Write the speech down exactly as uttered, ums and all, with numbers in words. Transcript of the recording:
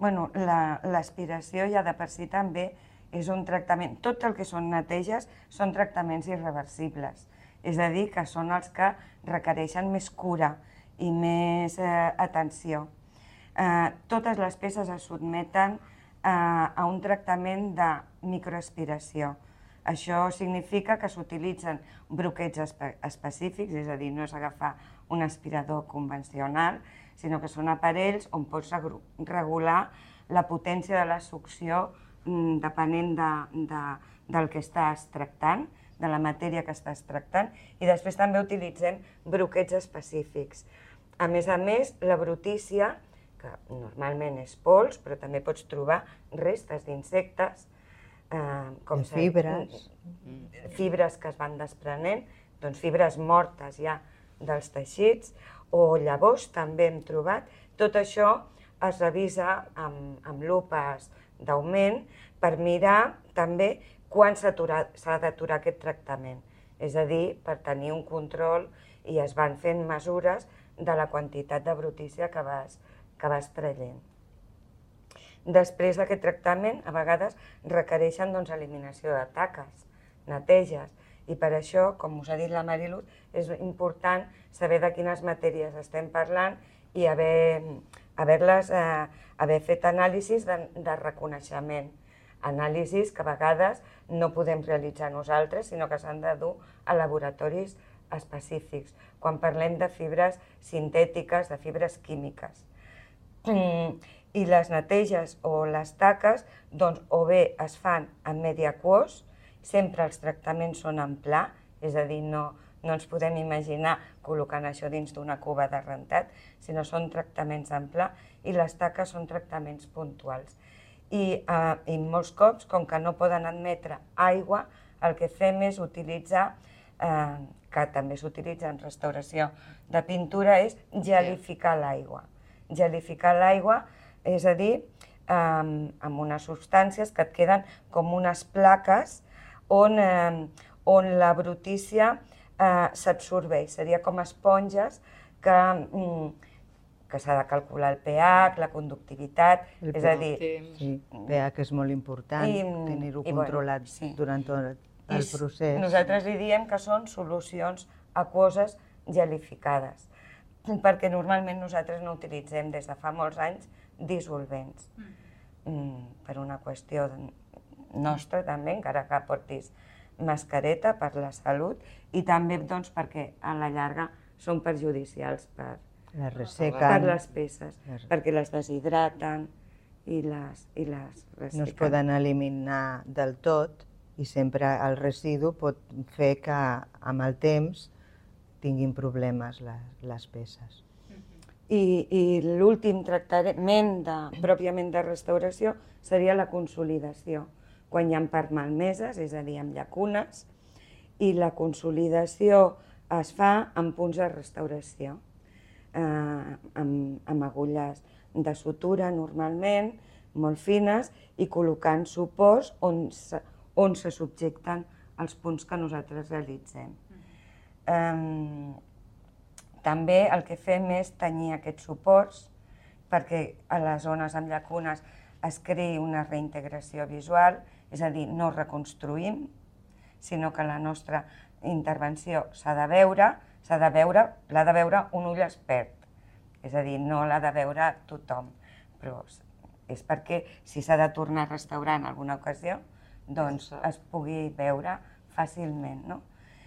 Bueno, l'aspiració ja de per si també és un tractament, tot el que són neteges són tractaments irreversibles, és a dir, que són els que requereixen més cura i més eh, atenció. Eh, totes les peces es sotmeten eh, a un tractament de microaspiració. Això significa que s'utilitzen broquets espe específics, és a dir, no és agafar un aspirador convencional, sinó que són aparells on pots regular la potència de la succió depenent de, de, del que estàs tractant, de la matèria que estàs tractant, i després també utilitzem broquets específics. A més a més, la brutícia, que normalment és pols, però també pots trobar restes d'insectes, eh, com fibres. fibres que es van desprenent, doncs fibres mortes ja dels teixits, o llavors també hem trobat. Tot això es revisa amb, amb lupes d'augment per mirar també quan s'ha d'aturar aquest tractament. És a dir, per tenir un control, i es van fent mesures de la quantitat de brutícia que vas, que vas traient. Després d'aquest tractament, a vegades requereixen doncs, eliminació de taques, neteges, i per això, com us ha dit la Mariluz, és important saber de quines matèries estem parlant i haver, haver-les, eh, haver fet anàlisis de, de reconeixement. Anàlisis que a vegades no podem realitzar nosaltres, sinó que s'han de dur a laboratoris específics, quan parlem de fibres sintètiques, de fibres químiques. I les neteges o les taques, doncs, o bé es fan en medi aquós, sempre els tractaments són en pla, és a dir, no, no ens podem imaginar col·locant això dins d'una cuba de rentat, sinó són tractaments en pla, i les taques són tractaments puntuals. I, eh, i molts cops, com que no poden admetre aigua, el que fem és utilitzar, eh, que també s'utilitza en restauració de pintura, és gelificar l'aigua. Gelificar l'aigua, és a dir, eh, amb unes substàncies que et queden com unes plaques on, eh, on la brutícia eh, s'absorbeix. Seria com esponges que, que s'ha de calcular el pH, la conductivitat, el és a dir... Sí, el pH és molt important, tenir-ho controlat bueno, sí. durant tot el I procés. Nosaltres li diem que són solucions aquoses gelificades, perquè normalment nosaltres no utilitzem des de fa molts anys dissolvents, mm, per una qüestió nostra també, encara que portis mascareta per la salut, i també doncs, perquè a la llarga són perjudicials per, les per les peces, les... perquè les deshidraten i les, i les ressequen. No es poden eliminar del tot i sempre el residu pot fer que amb el temps tinguin problemes les, les peces. I, i l'últim tractament de, pròpiament de restauració seria la consolidació, quan hi ha parts malmeses, és a dir, amb llacunes, i la consolidació es fa en punts de restauració, eh, amb, amb agulles de sutura normalment, molt fines, i col·locant suports on se, on se subjecten els punts que nosaltres realitzem. Eh, també el que fem és tenyir aquests suports perquè a les zones amb llacunes es creï una reintegració visual, és a dir, no reconstruïm, sinó que la nostra intervenció s'ha de veure, s'ha de veure, l'ha de veure un ull expert, és a dir, no l'ha de veure tothom, però és perquè si s'ha de tornar a restaurar en alguna ocasió, doncs es pugui veure fàcilment, no?